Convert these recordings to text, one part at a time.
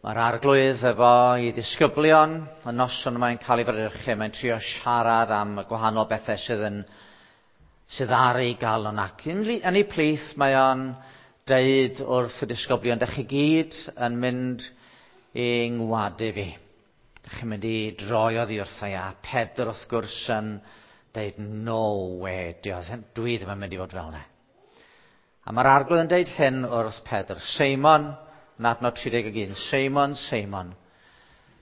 Mae'r arglwydd efo i ddisgyblion, y noson mae'n cael ei fradychu, mae'n trio siarad am y gwahanol bethau sydd, yn, sydd ar ei galon ac yn, yn ei plith mae o'n deud wrth y disgyblion, dych chi gyd yn mynd i ngwadu fi. Dych chi'n mynd i droi oddi wrtha i a Pedr wrth gwrs yn deud no way, dwi ddim yn mynd i fod fel yna. A mae'r arglwydd yn deud hyn wrth Pedr, Seimon, yn adnod 31, Seimon, Seimon,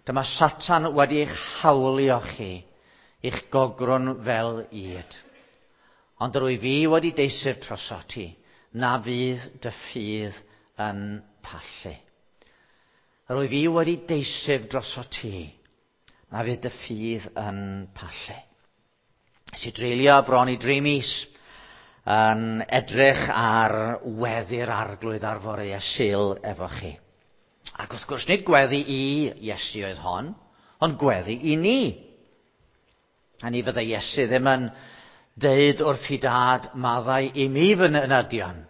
dyma Satan wedi eich hawlio chi, i'ch gogrwn fel ŷd. Ond yr wyf fi wedi deisif troso ti, na fydd dy ffydd yn pallu. Yr wyf fi wedi deisif droso ti, na fydd dy ffydd yn pallu. Nes i dreulio bron i dri mis yn edrych ar weddi'r arglwydd ar fore Sul efo chi. Ac wrth gwrs, nid gweddi i Iesu oedd hon, ond gweddi i ni. A ni fyddai Iesu ddim yn deud wrth i dad maddau i mi fy ynadion.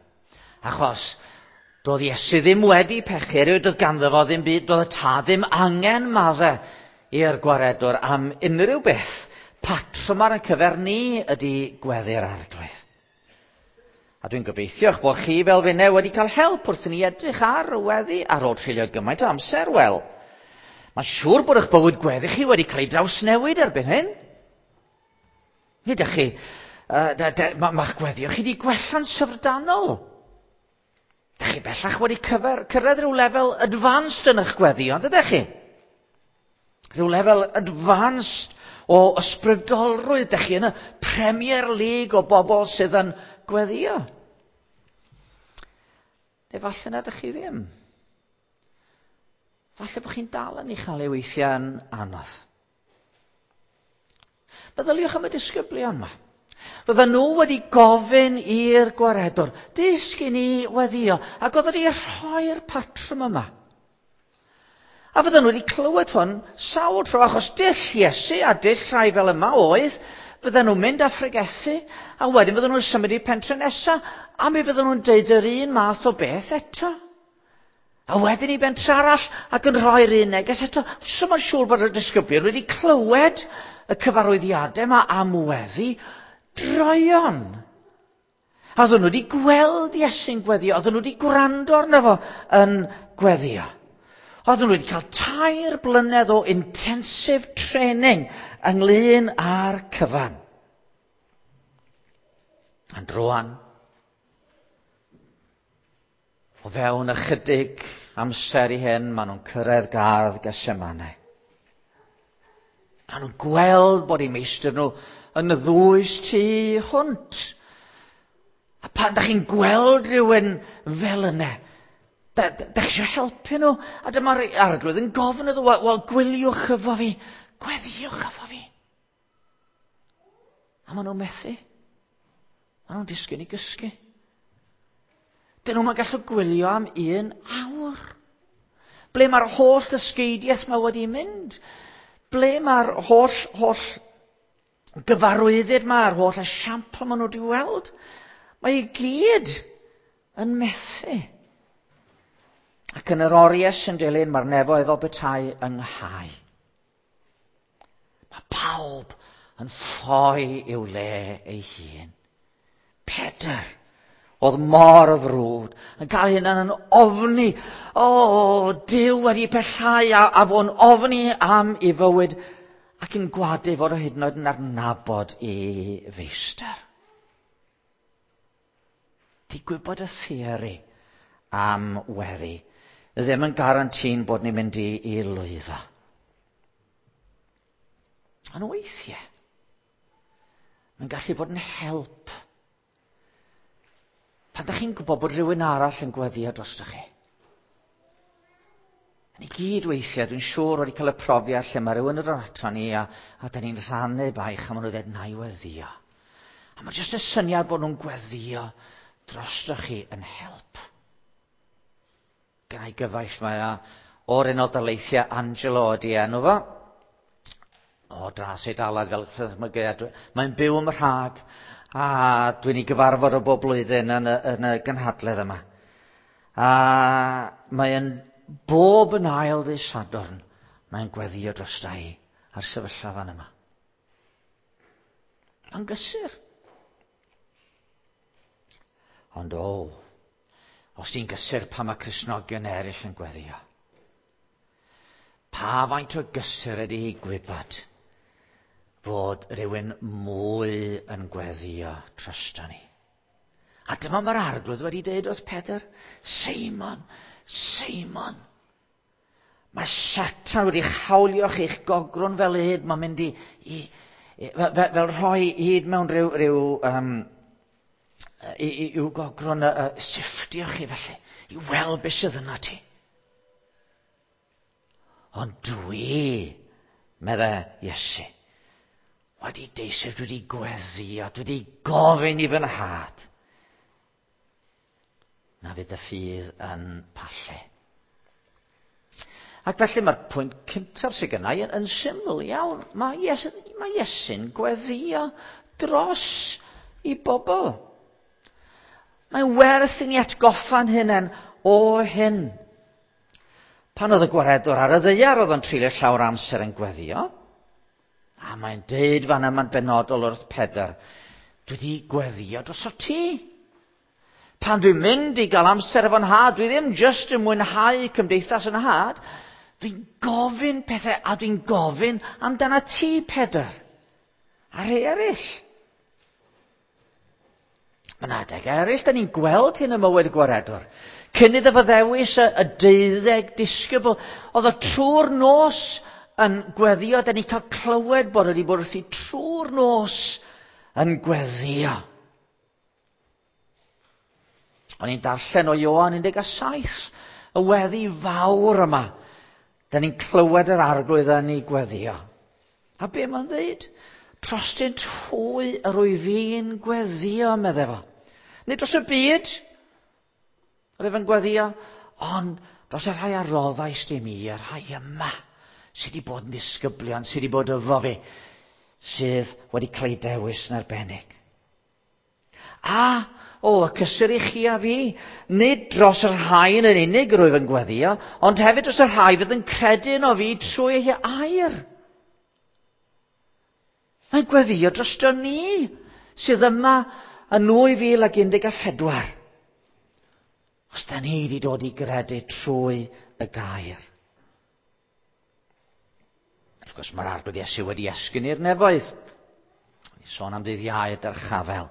Achos doedd Iesu ddim wedi pechu, erioed doedd ganddo fo ddim byd, doedd y tad ddim angen maddau i'r gwaredwr am unrhyw beth. Patrwm ar ein cyfer ni ydy gweddi'r arglwydd. A dwi'n gobeithio eich bod chi fel finne wedi cael help wrth i ni edrych ar y weddi ar ôl treulio gymaint o amser. Wel, mae'n siŵr bod eich bywyd gweddi chi wedi cael ei drawsnewid erbyn hyn. Nid ydych chi, uh, mae'ch gweddi chi wedi gwella'n syfrdanol. Dych chi bellach wedi cyfer, cyrraedd rhyw lefel advanced yn eich gweddi, ond ydych chi? Rhyw lefel advanced o ysbrydolrwydd. Dych chi yn y Premier League o bobl sydd yn gweddio. Neu falle na ydych chi ddim. Falle bod chi'n dal yn ei chael ei weithiau'n anodd. Meddyliwch am y disgyblion yma. Fydden nhw wedi gofyn i'r gwaredwr, dysg i ni weddio, ac oedd wedi rhoi'r patrwm yma. A fydden nhw wedi clywed hwn sawl tro, achos dull Iesu a dull rhai fel yma oedd, fydden nhw'n mynd â phregethu, a wedyn fydden nhw'n symud i pentre nesa, a mi fydden nhw'n deud yr un math o beth eto. A wedyn i bentre arall, ac yn rhoi'r un neges eto. So mae'n siŵr bod y disgyblion wedi clywed y cyfarwyddiadau yma am weddi droion. A oedden nhw wedi gweld Iesu'n gweddio, oedden nhw wedi gwrando arno fo yn gweddio. Oedden nhw wedi cael tair blynedd o intensive training ynglyn â'r cyfan. Ond rwan, o fewn ychydig amser i hyn, maen nhw'n cyrraedd gardd Gethsemane. Maen nhw'n gweld bod eu meistr nhw yn y ddwys tu hwnt. A pan da chi'n gweld rhywun fel yna, da, da, da chi eisiau helpu nhw. A dyma'r arglwydd yn gofyn iddo, wel, wel gwyliwch efo fi, gweddiwch efo fi. A maen nhw'n methu. Maen nhw'n disgyn i gysgu. Dyn nhw'n gallu gwylio am un awr. Ble mae'r holl ddysgeidiaeth mae wedi mynd? Ble mae'r holl, holl gyfarwyddyd mae'r holl esiampl maen nhw wedi weld? Mae i gyd yn methu. Ac yn yr oriau sy'n dilyn, mae'r nefoedd fel petai ynghau. Mae pawb yn ffoi i'w le ei hun. Pedr oedd mor frwd, yn cael hynna'n yn ofni. O, Duw wedi pellhau a, a fo'n ofni am ei fywyd ac yn gwadu fod o hyd yn oed yn adnabod ei feistr. Di gwybod y theori am weddi ddim yn garantín bod ni'n mynd i, i lwyddo. Ond weithiau, mae'n gallu bod yn help. Pan da chi'n gwybod bod rhywun arall yn gweddio drostoch chi. Ni gyd weithiau, dwi'n siŵr wedi cael y profiad lle mae rhywun yn dod ato ni a, a da ni'n rhannu baich a maen nhw'n dweud na i weddio. A mae jyst y syniad bod nhw'n gweddio drostoch chi yn help. Gynna i gyfaill mae a o'r Unol Daleithiau Angelo ydi enw fo. O dras Eidalaidd fel chymygiad. Mae'n byw ym Mhrag a dwi'n ei gyfarfod o bob blwyddyn yn y, yn y gynhadledd yma. A mae'n bob yn ail ddydd Sadwrn, mae'n gweddio drosta i a'r sefyllfa fan yma. Mae'n gysur. Ond o, os ti'n gysur pan mae Cristnogion eraill yn gweddio. Pa faint o gysur ydy hi gwybod fod rhywun mwy yn gweddio drosto ni? A dyma mae'r Arglwydd wedi dweud wrth Pedr, Seimon, Seimon, mae Satan wedi hawlio chi'ch gogrwn fel yd, mae'n mynd i, i, i fel, fel rhoi hyd mewn rhyw, rhyw um, i, i, i'w gogrwn uh, sifftio chi felly, i weld beth sydd yna ti. Ond dwi, medde Iesu, wedi deiseb, dwi wedi gweddio, dwi wedi gofyn i fy nhad. Na fydd y ffydd yn pallu. Ac felly mae'r pwynt cyntaf sydd gennau yn, yn syml iawn. Mae, Iesu, mae Iesu'n gweddio dros i bobl. Mae'n werth i ni atgoffa'n hunain o hyn. Pan oedd y gwaredwr ar y ddaear, oedd o'n treulio llawer amser yn gweddio. A mae'n deud fan yma'n benodol wrth Pedr, dwi wedi gweddio droso ti. Pan dwi'n mynd i gael amser efo'n nhad, dwi ddim just yn mwynhau cymdeithas yn nhad, dwi'n gofyn pethau a dwi'n gofyn amdana ti, Pedr, a rhai eraill. Mae yna adeg eraill, da ni'n gweld hyn ym mywyd y gwaredwr. Cyn iddo fo ddewis y, y deuddeg disgybl, oedd o trwy'r nos yn gweddio, da ni'n cael clywed bod wedi bod wrthi trwy'r nos yn gweddio. O'n i'n darllen o Ioan 17, y weddi fawr yma. Da ni'n clywed yr Arglwydd yn ei gweddio. A be mae'n dweud? Trostynt hwy yr wyf fi'n gweddio, medde fo. Nid dros y byd, yr wyf yn gweddio, ond dros y rhai a roddais di mi, y rhai yma, sydd wedi bod yn ddisgyblion, sydd wedi bod efo fi, sydd wedi cael eu dewis yn arbennig. A, o, y cysur i chi a fi, nid dros y rhai yn unig rwyf yn gweddio, ond hefyd dros y rhai fydd yn credu yno fi trwy ei air. Mae'n gweddio drosto ni, sydd yma yn 2014. Os da ni wedi dod i gredu trwy y gair. Wrth gwrs, mae'r Arglwydd Iesu wedi esgyn i'r nefoedd. Ni sôn am ddydd Iau y dyrchafel.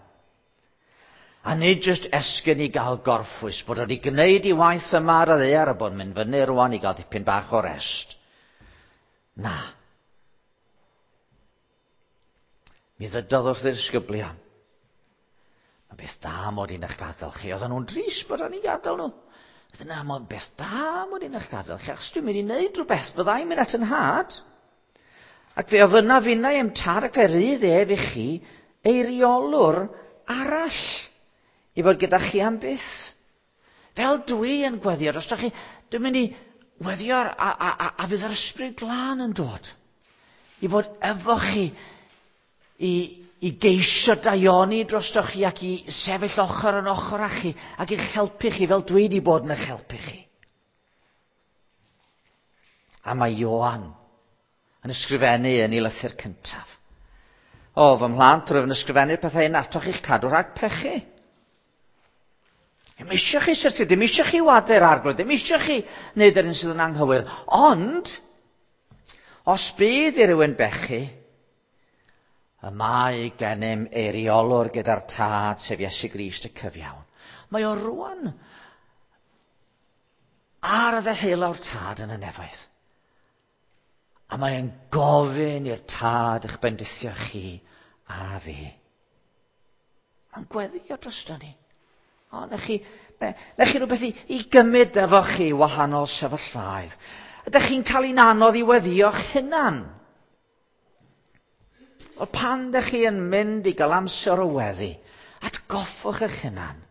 A nid jyst esgyn i gael gorffwys, bod wedi gwneud i waith yma ar y ddaear a bod yn mynd fyny rwan i gael dipyn bach o rest. Na. Mi ddydodd wrth y disgyblion. Mae beth da mod i'n eich gadael chi. Oedden nhw'n drist bod o'n i gadael nhw. Oedden nhw, mae'n beth da mod i'n eich gadael chi, achos dwi'n mynd i wneud rhywbeth. Byddai'n mynd at yn nhad. Ac fe ofynna finnau i'm tad ac fe rydd ef i chi eiriolwr arall i fod gyda chi am byth. Fel dwi yn gweddio drostoch chi, dwi'n mynd i weddio a, a, a, a fydd yr Ysbryd Glân yn dod i fod efo chi i, i geisio daioni drostoch chi ac i sefyll ochr yn ochr â chi ac i'ch helpu chi fel dwi wedi bod yn eich helpu chi. A mae Ioan yn ysgrifennu yn ei lythyr cyntaf. O, fy mhlant, rwyf yn ysgrifennu'r pethau hyn atoch i'ch cadw rhag pechu. Ddim eisiau chi syrthio, ddim eisiau chi wadu'r Arglwydd, ddim eisiau chi wneud yr un sydd yn anghywir. Ond, os bydd i rywun bechu, y mae gennym eiriolwr gyda'r Tad, sef Iesu Grist y cyfiawn. Mae o rwan ar y ddeheulaw'r Tad yn y nefoedd. A mae'n gofyn i'r Tad eich bendithio chi a fi. Mae'n gweddio drosto ni. O, na chi, na, na chi rhywbeth i, i gymryd efo chi wahanol sefyllfaoedd. Ydych chi'n cael un anodd i weddio'ch hunan? Wel, pan ydych chi yn mynd i gael amser o weddi, atgoffwch eich hunan.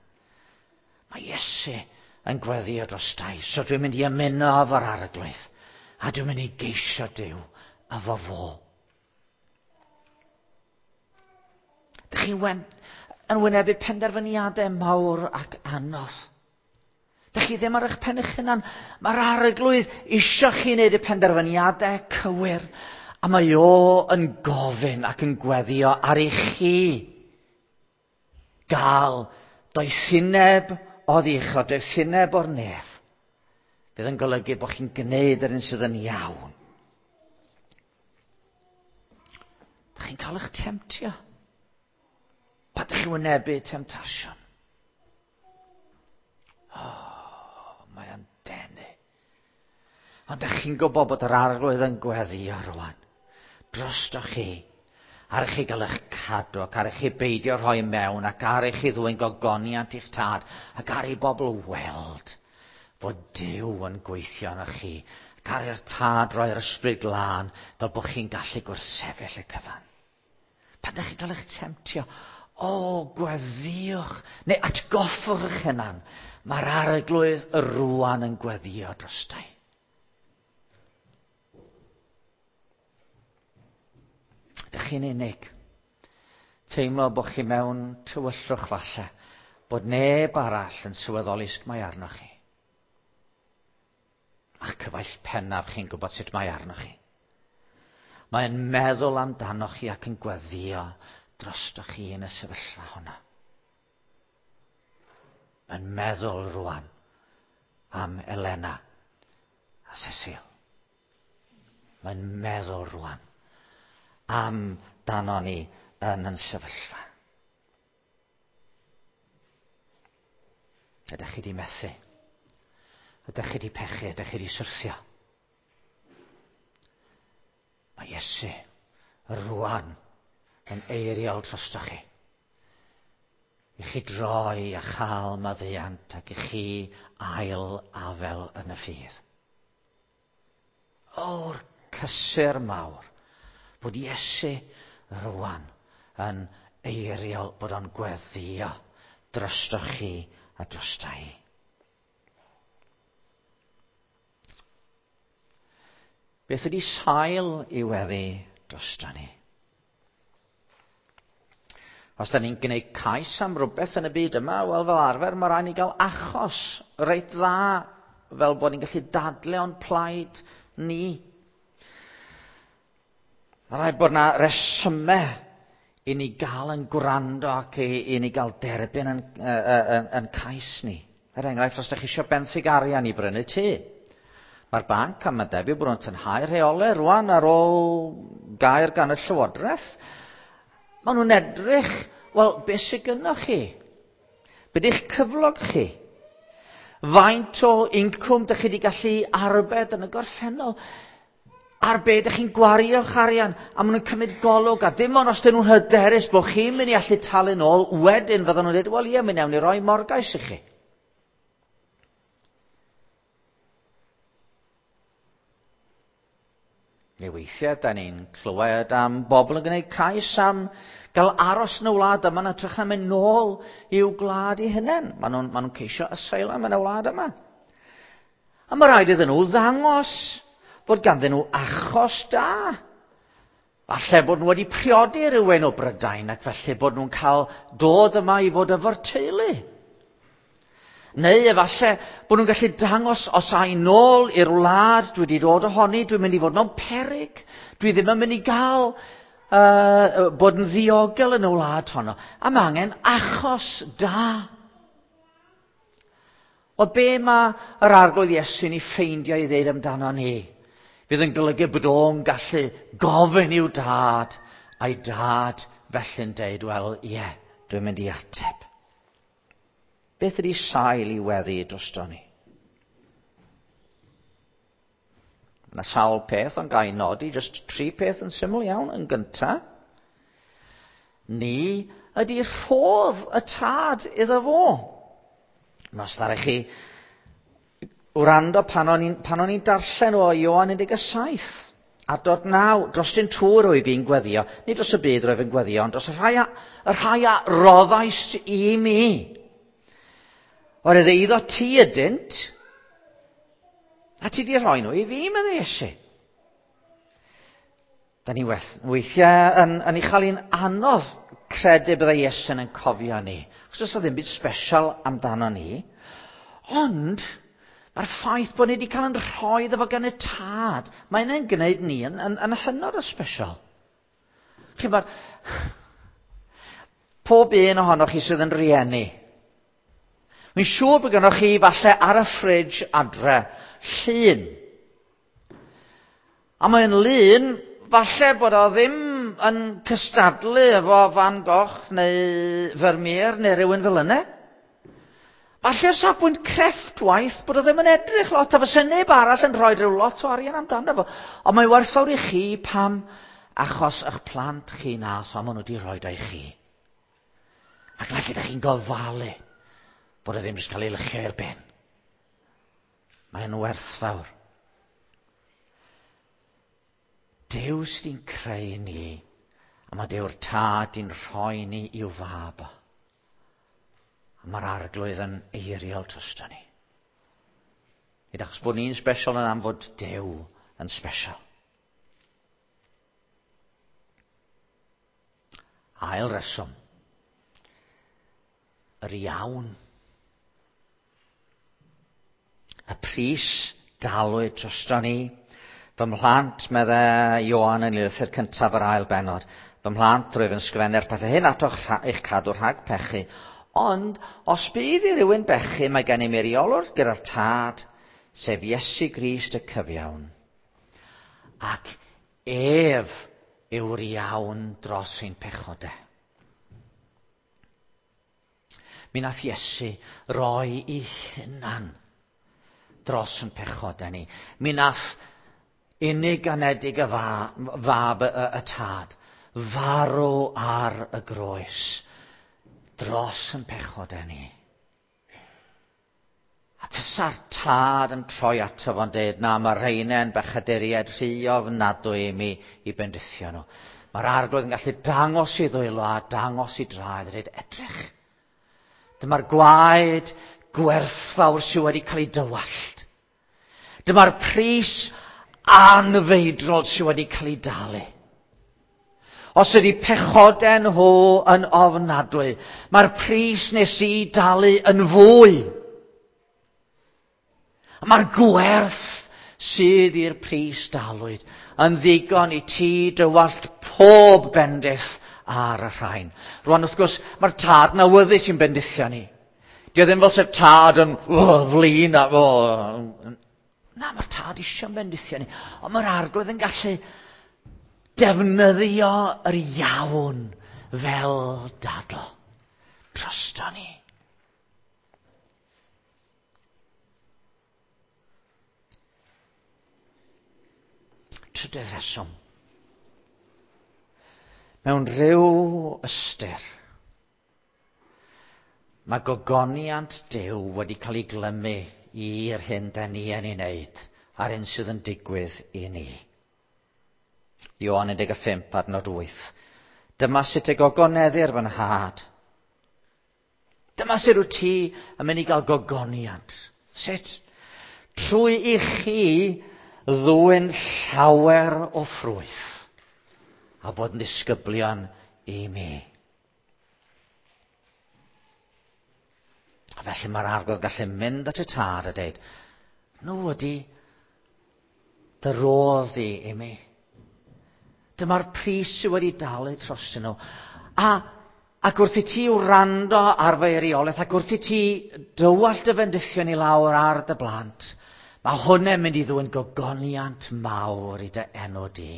Mae Iesu yn gweddio dros dau, so dwi'n mynd i ymuno efo'r Arglwydd, a dwi'n mynd i geisio Duw efo fo. Dych chi'n yn wynebu penderfyniadau mawr ac anodd. Dych chi ddim ar eich pen eich hunan. Mae'r arglwydd eisiau chi wneud y penderfyniadau cywir. A mae o yn gofyn ac yn gweddio ar i chi gael doethineb oddi uchod, doethineb o'r nef. Bydd yn golygu bod chi'n gwneud yr un sydd yn iawn. Dych chi'n cael eich temtio. Pa dych chi'n wynebu temtasiwn? Oh, mae o'n denu. Ond dych chi'n gwybod bod yr arglwydd yn gweddio rwan. Drostoch chi. Ar i chi gael eich cadw ac ar i chi beidio rhoi mewn ac ar i chi ddwyn gogoniant i'ch tad ac ar i bobl weld fod Duw yn gweithio arnoch chi ac ar i'r tad roi'r ysbryd glân fel bod chi'n gallu gwrthsefyll y cyfan. Pan ydych chi'n cael eich temtio, o, gweddïwch, neu atgoffwch eich hunan, mae'r arglwydd y rwan yn gweddio drostai. Ydych chi'n unig? Teimlo bod chi mewn tywyllwch falle, bod neb arall yn sylweddoli sut mae arnoch chi. A'ch cyfaill pennaf chi'n gwybod sut mae arnoch chi. Mae'n meddwl amdanoch chi ac yn gweddio drostoch chi yn y sefyllfa hwnna. Mae'n meddwl rwan am Elena a Cecil. Mae'n meddwl rwan am dano ni yn yn sefyllfa. Ydych chi di methu? Ydych chi di pechu? Ydych chi di syrthio? Mae Iesu rwan yn eiriol drostoch chi. I chi droi a chael maddeuant ac i chi ail afel yn y ffydd. O'r cysur mawr bod Iesu rwan yn eiriol bod o'n gweddio drostoch chi a drosta i. Beth ydy sail i weddi drosta ni? Os da ni'n gwneud cais am rhywbeth yn y byd yma, wel fel arfer mae rhaid ni gael achos reit dda fel bod ni'n gallu dadle o'n plaid ni. Mae rhaid bod yna resymau i ni gael yn gwrando ac i, i ni gael derbyn yn, yn, yn cais ni. Er enghraifft, os ydych chi eisiau benthyg arian i brynu tŷ, mae'r banc am y debyg bod nhw'n tynhau rheolau rwan ar ôl gair gan y Llywodraeth. Maen nhw'n edrych, wel, beth sydd gynnoch chi? Be di'ch cyflog chi? Faint o incwm dych chi wedi gallu arbed yn y gorffennol? Ar be dych chi'n gwario'ch arian? A maen nhw'n cymryd golwg, a dim ond os dyn nhw'n hyderus bod chi'n mynd i allu talu nôl, wedyn fydden nhw'n dweud, wel ie, mi wnawn ni roi morgais i chi. Neu weithiau, da ni'n clywed am bobl yn gwneud cais am gael aros yn y wlad yma yn hytrach na mynd nôl i'w gwlad eu hunain. Maen nhw'n ma nhw ceisio asylum yn y wlad yma. A mae rhaid iddyn nhw ddangos fod ganddyn nhw achos da. Falle bod nhw wedi priodi rhywun o Brydain ac felly bod nhw'n cael dod yma i fod efo'r teulu. Neu efallai bod nhw'n gallu dangos os ai nôl i'r wlad dwi wedi dod ohoni, dwi'n mynd i fod mewn peryg, dwi ddim yn mynd i gael uh, bod yn ddiogel yn y wlad honno. A mae angen achos da. O be mae yr arglwydd Iesu'n ei ffeindio i ddeud amdano ni? Fydd yn golygu bod o'n gallu gofyn i'w dad, a'i dad felly'n deud, wel, ie, yeah, dwi'n mynd i ateb. Beth ydy sail i weddi drosto ni? Mae yna sawl peth ond gael nodi, jyst tri peth yn syml iawn. Yn gyntaf, ni ydy rhodd y tad iddo fo. Mae os ddaru chi wrando pan o'n i'n pan o'n i'n darllen o Ioan 17, adnod 9, dros dyn tŵr rwyf fi'n gweddio, nid dros y byd rwyf yn gweddio, ond dros y rhai a, y rhai a roddais i mi. Oherwydd eiddo ti ydynt, a ti di rhoi nhw i fi, meddai Iesu. Da ni weithiau yn, yn ei chael hi'n anodd credu byddai Iesu'n yn cofio ni. Achos does ddim byd special amdano ni. Ond, mae'r ffaith bod ni wedi cael yn rhoi iddo fo gan y tad, mae hynny'n gwneud ni yn, yn, yn hynod o special. Chi'n bod, pob un ohonoch chi sydd yn rieni, Mae'n siŵr bod gennych chi falle ar y ffridge adre llun. A mae'n lun, falle bod o ddim yn cystadlu efo Van Gogh neu Vermeer neu rhywun fel yna. Falle o safbwynt crefftwaith bod o ddim yn edrych lot, a fysa neb arall yn rhoi rhyw lot o arian amdano fo. Ond mae'n werthfawr i chi pam achos eich plant chi na, so maen nhw wedi rhoi o i chi. Ac felly ydych chi'n gofalu bod o ddim jyst cael ei lychio i'r ben. Mae'n werthfawr. Duw sydd creu ni, a mae Dew'r tad di'n rhoi ni i'w fab o. A mae'r arglwydd yn eiriol drosto ni. Nid achos bod ni'n special yn am fod Duw yn special. Ail reswm. Yr iawn. Y pris dalwyd drosto ni. Fy mhlant, medde Ioan yn lythyr cyntaf yr ail benod. Fy mhlant, rwyf yn sgrifennu'r pethau hyn atoch eich cadw rhag pechu. Ond, os bydd i rywun bechu, mae gen i eiriolwr gyda'r tad, sef Iesu Grist y cyfiawn. Ac ef yw'r iawn dros ein pechodau. Mi nath Iesu roi i hunan dros yn pechodau ni. Mi nath unig anedig y fa, fab y, y, y tad farw ar y groes dros yn pechodau ni. A tysa'r tad yn troi ato fo'n dweud, na, mae rheina'n bechaduriaid rhy ofnadwy i mi i bendithio nhw. Mae'r arglwydd yn gallu dangos i ddwylo a dangos i draed a dweud, edrych. Dyma'r gwaed gwerthfawr sydd wedi cael ei dywallt. Dyma'r pris anfeidrol sydd wedi cael ei dalu. Os ydy pechodau nhw yn ofnadwy, mae'r pris nes i dalu yn fwy. Mae'r gwerth sydd i'r pris dalwyd yn ddigon i ti dywallt pob bendith ar y rhain. Rwan, wrth gwrs, mae'r tad yn awyddus i'n bendithio ni. Di o ddim fel sef tad yn oh, flin a... Oh. Na, mae'r tad eisiau bendithio ni. Ond mae'r arglwydd yn gallu defnyddio yr iawn fel dadl. Drosto ni. Trydydd reswm. Mewn rhyw ystyr, mae gogoniant Duw wedi cael ei glymu i'r hyn da ni yn ei wneud a'r hyn sydd yn digwydd i ni. Ioan 15 adnod 8. Dyma sut y gogoneddir fy nhad. Dyma sut wyt ti yn mynd i gael gogoniant. Sut? Trwy i chi ddwyn llawer o ffrwyth a bod yn disgyblion i mi. A felly mae'r arglwydd gallu mynd at y tad a dweud, nhw ydi dy rodd di i mi. Dyma'r pris sydd wedi dalu trostyn nhw. A, ac wrth i ti wrando ar fy eiriolaeth, ac wrth i ti dywallt dy fendithion i lawr ar dy blant, mae hwnna'n mynd i ddwyn gogoniant mawr i dy enw di.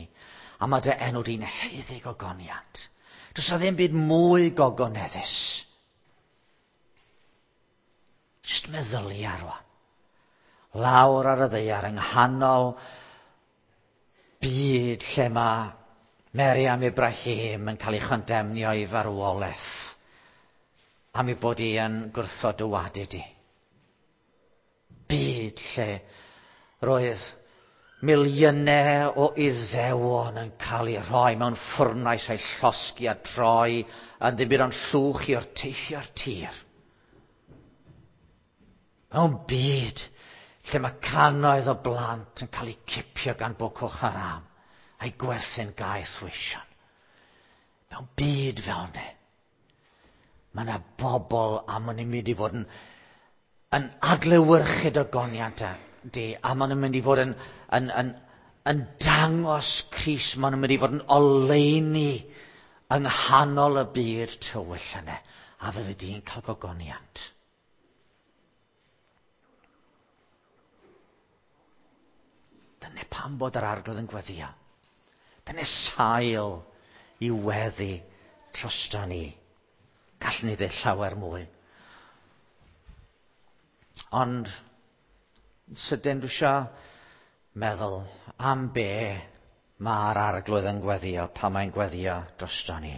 A mae dy enw di'n haeddu gogoniant. Does na ddim byd mwy gogoneddus. Just meddylia rwan. Lawr ar y ddaear yng nghanol byd lle mae Meriam Ibrahim yn cael ei chondemnio i farwolaeth am ei bod hi yn gwrthod dy wadu di. Byd lle roedd miliynau o Iddewon yn cael eu rhoi mewn ffwrnais a'i llosgi a troi yn ddim byd ond llwch i orteithio'r tir. Mewn byd lle mae cannoedd o blant yn cael eu cipio gan Boko Haram a'i gwerthu'n gaeth weision. Mewn byd fel yna, mae yna bobl a maen nhw'n mynd i fod yn yn adlewyrchu dogoniant di, a maen nhw'n mynd i fod yn dangos Crist, maen nhw'n mynd i fod yn oleuni yng nghanol y byd tywyll yna, a fyddi di'n cael gogoniant. Dyna pam bod yr Arglwydd yn gweddio. Dyna sail i weddi drosto ni. Gallwn ni ddeud llawer mwy. Ond, sydyn dwi eisiau meddwl am be mae'r Arglwydd yn gweddio, pan mae'n gweddio drosto ni.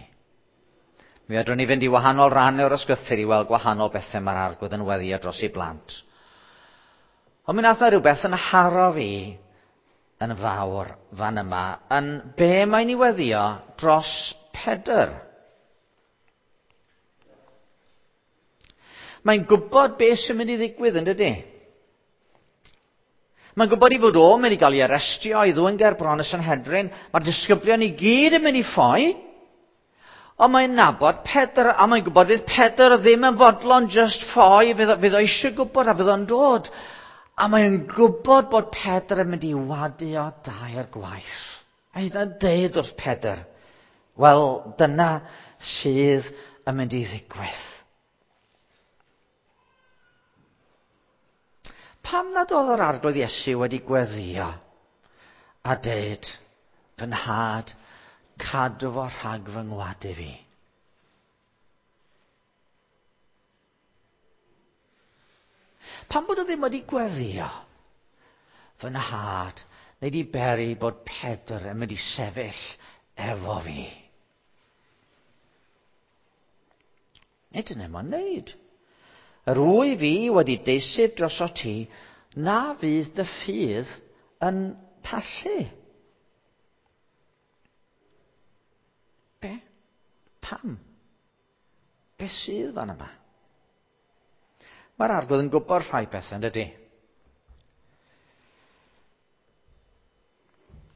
Mi fedrwn ni fynd i wahanol rannau o'r ysgrythur i weld gwahanol bethau mae'r Arglwydd yn weddio dros ei blant. Ond mi nath na rhywbeth yn haro fi yn fawr fan yma, yn be mae'n ei weddio dros Pedr. Mae'n gwybod beth sy'n mynd i ddigwydd, yn dydy? Mae'n gwybod i fod o'n mynd i gael ei arestio, i ddwyn ger bron y Sanhedrin. Mae'r disgyblion i gyd yn mynd i ffoi. Ond mae'n nabod Pedr, a mae'n gwybod fydd Pedr ddim yn fodlon just ffoi, fydd, fydd o eisiau gwybod a fydd o'n dod. A mae'n gwybod bod Pedr yn mynd i wadu o dair gwaith. A hyd yn deud wrth Pedr, wel, dyna sydd yn mynd i ddigwydd. Pam nad oedd yr Arglwydd Iesu wedi gweddio a deud, fy nhad, cadw fo rhag fy ngwadu fi? Pam bod o ddim wedi gweddio? Fy nhad, neu di beri bod Pedr yn mynd i sefyll efo fi. Nid yna mae'n neud. Yr wyf fi wedi deiseb droso ti, na fydd dy ffydd yn pallu. Be? Pam? Be sydd fan yma? Mae'r Arglwydd yn gwybod rhai pethau, yn dydy?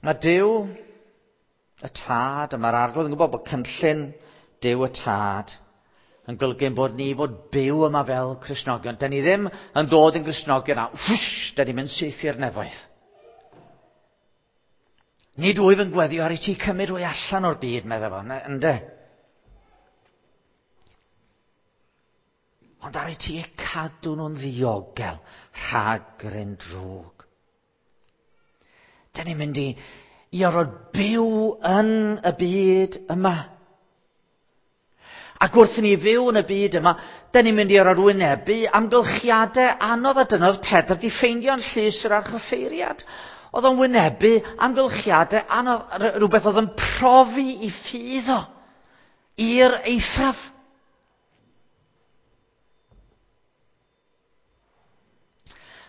Mae Duw y Tad, a mae'r Arglwydd yn gwybod bod cynllun Duw y Tad yn golygu bod ni fod byw yma fel Cristnogion. Da ni ddim yn dod yn Gristnogion a whoosh, da ni'n mynd syth i'r nefoedd. Nid wyf yn gweddio ar i ti cymryd hwy allan o'r byd, meddai fo, ynde? Ond ar i ti eu cadw nhw'n ddiogel rhag yr un drwg. Da ni'n mynd i orfod byw yn y byd yma. Ac wrth i ni fyw yn y byd yma, da ni'n mynd i orfod wynebu amgylchiadau anodd, a dyna oedd Pedr di ffeindio'n llys yr archoffeiriad. Oedd o'n wynebu amgylchiadau anodd, rhywbeth oedd yn profi i ffydd o, i'r eithaf.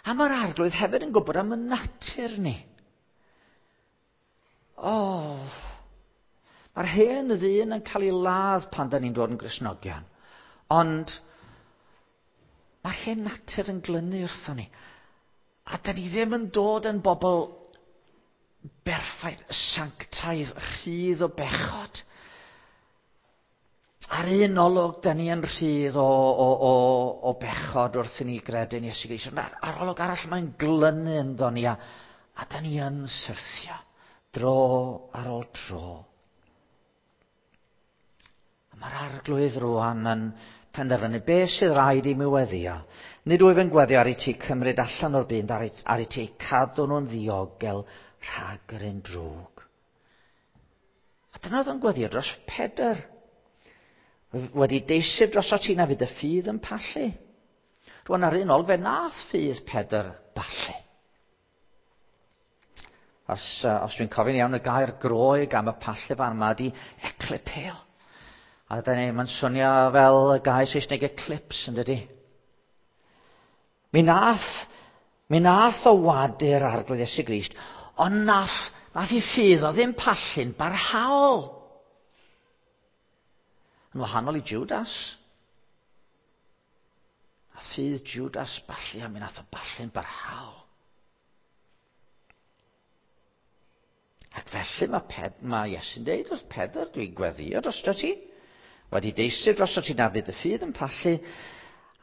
A mae'r Arglwydd hefyd yn gwybod am y natur ni. O, mae'r hen ddyn yn cael ei ladd pan da ni'n dod yn Gristnogion. Ond mae'r hen natur yn glynu wrthon ni. A da ni ddim yn dod yn bobl berffaith, sanctaidd, rhydd o bechod. Ar un olwg, da ni yn rhydd o bechod wrth i ni gredu yn Iesu Grist. Ond ar olwg arall, mae'n glynu ynddo ni, a da ni yn syrthio dro ar ôl tro. A mae'r Arglwydd rwan yn penderfynu beth sydd rhaid i mi weddio. Nid wyf yn gweddio ar i ti cymryd allan o'r byd, ar i ti cadw nhw'n ddiogel rhag yr un drwg. A dyna oedd o'n gweddio dros Pedr. Wedi deiseb droso ti na fydd y ffydd yn pallu. Rwan ar un ôl fe nath ffydd Pedr ballu. Os dwi'n cofio'n iawn, y gair Groeg am y pallu fan yma ydi eklipeo. A dyna ni, mae'n swnio fel y gair Saesneg eclipse, yn dydi? Mi nath o wadu'r Arglwydd Iesu Grist, ond nath i ffydd o ddim pallu'n barhaol. Yn wahanol i Judas. Nath ffydd Judas ballu, a mi nath o ballu'n barhaol. Ac felly mae Iesu'n deud wrth Pedr, dwi'n gweddio drosto ti. Wedi deiseb drosto ti na fydd y ffydd yn pallu.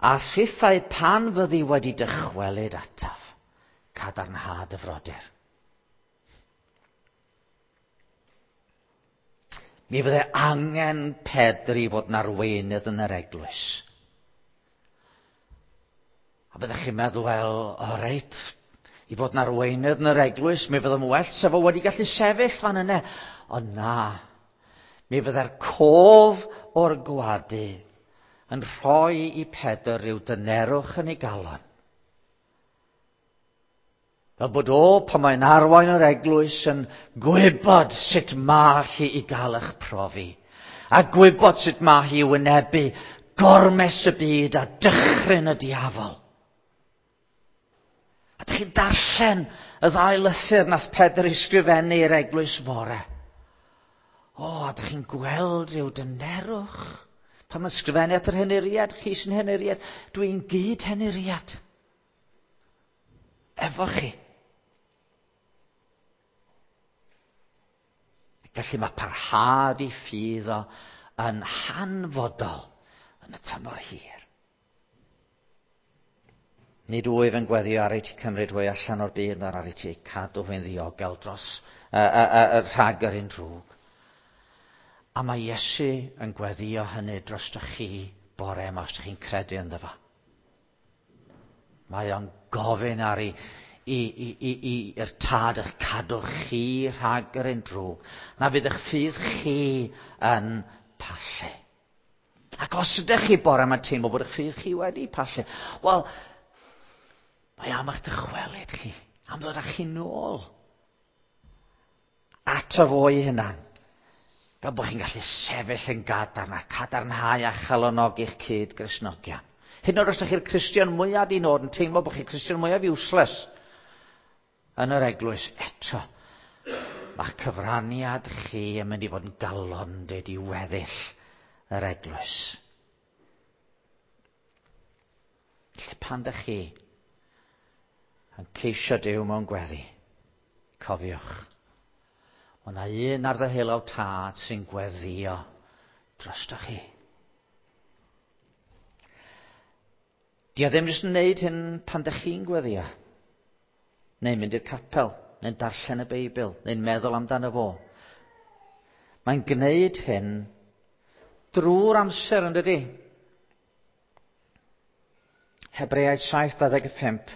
A thithau pan fyddi wedi dychwelyd ataf, cadarnha dy frodyr. Mi fydde angen Pedr i fod yn arweinydd yn yr eglwys. A byddech chi'n meddwl, wel, o reit, i fod yn arweinydd yn yr eglwys, mi fyddai'n well sef o wedi gallu sefyll fan yna. Ond na, mi fydde'r cof o'r gwadu yn rhoi i Pedr rhyw dynerwch yn ei galon. Fel bod o, pan mae'n arwain yr eglwys, yn gwybod sut mae hi i gael eich profi. A gwybod sut mae hi i wynebu gormes y byd a dychryn y diafol. A dych chi'n darllen y ddau lythyr nath Pedr ei sgrifennu i'r eglwys fore. O, a dych chi'n gweld rhyw dynerwch. Pan mae'n sgrifennu at yr henuriad, chi sy'n henuriad, dwi'n gyd henuriad. Efo chi. Felly mae parhad i ffydd o yn hanfodol yn y tymor hir. Nid wyf yn gweddio ar i ti cymryd hwy allan o'r byd, ond ar i ti cadw hwy'n ddiogel dros rhag yr un drwg. A mae Iesu yn gweddio hynny drostoch chi bore yma, os ydych chi'n credu ynddo fo. Mae o'n gofyn ar i, i, i, i, i, i'r tad eich cadw chi rhag yr un drwg, na fydd eich ffydd chi yn pallu. Ac os ydych chi bore yma'n teimlo bod eich ffydd chi wedi pallu, wel, mae am eich dychwelyd chi, am ddod â chi nôl ato fo ei hunan. Fel bod chi'n gallu sefyll yn gadarn a cadarnhau a chalonogi'ch cyd Gristnogion. Hyd yn oed os ydych chi'r Cristion mwyaf di nod yn teimlo bod chi'r Cristion mwyaf useless yn yr eglwys eto, mae'ch cyfraniad chi yn mynd i fod yn galondid i weddill yr eglwys. Felly pan dych chi yn ceisio Duw mewn gweddi, cofiwch, mae yna un ar ddeheulaw tad sy'n gweddio drostoch chi. Di o ddim jyst yn neud hyn pan dych chi'n gweddio, neu'n mynd i'r capel, neu'n darllen y Beibl, neu'n meddwl amdano fo. Mae'n gwneud hyn drwy'r amser, yn dydi? Hebreaid 7:25.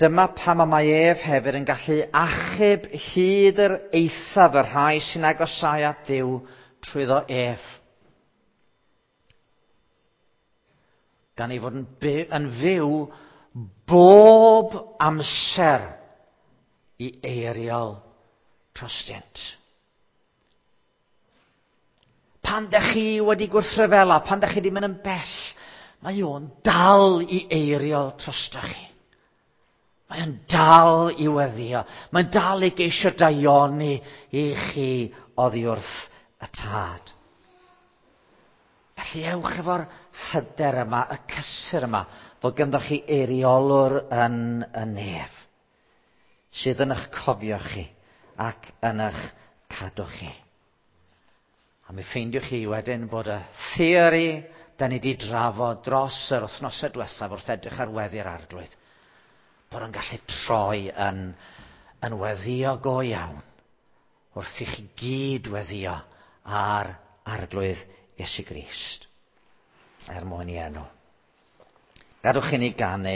Dyma pam y mae ef hefyd yn gallu achub hyd yr eithaf y rhai sy'n agosáu at Dduw trwyddo ef. Gan ei fod yn, yn fyw bob amser i eiriol trostynt. Pan dych chi wedi gwrthryfela, pan dych chi wedi mynd yn bell, mae o'n dal i eiriol trostoch chi. Mae o'n dal i weddio. Mae'n dal i geisio daioni i chi oddi wrth y tad. Felly ewch efo'r hyder yma, y cysur yma, fod ganddoch chi eiriolwr yn y nef, sydd yn eich cofio chi ac yn eich cadw chi. A mi ffeindiwch chi wedyn bod y theori da ni wedi drafod dros yr wythnosau diwethaf wrth edrych ar weddi'r arglwydd, bod o'n gallu troi yn, yn weddio go iawn wrth i chi gyd weddio ar arglwydd Iesu Grist er mwyn i enw. Gadwch i ni ganu.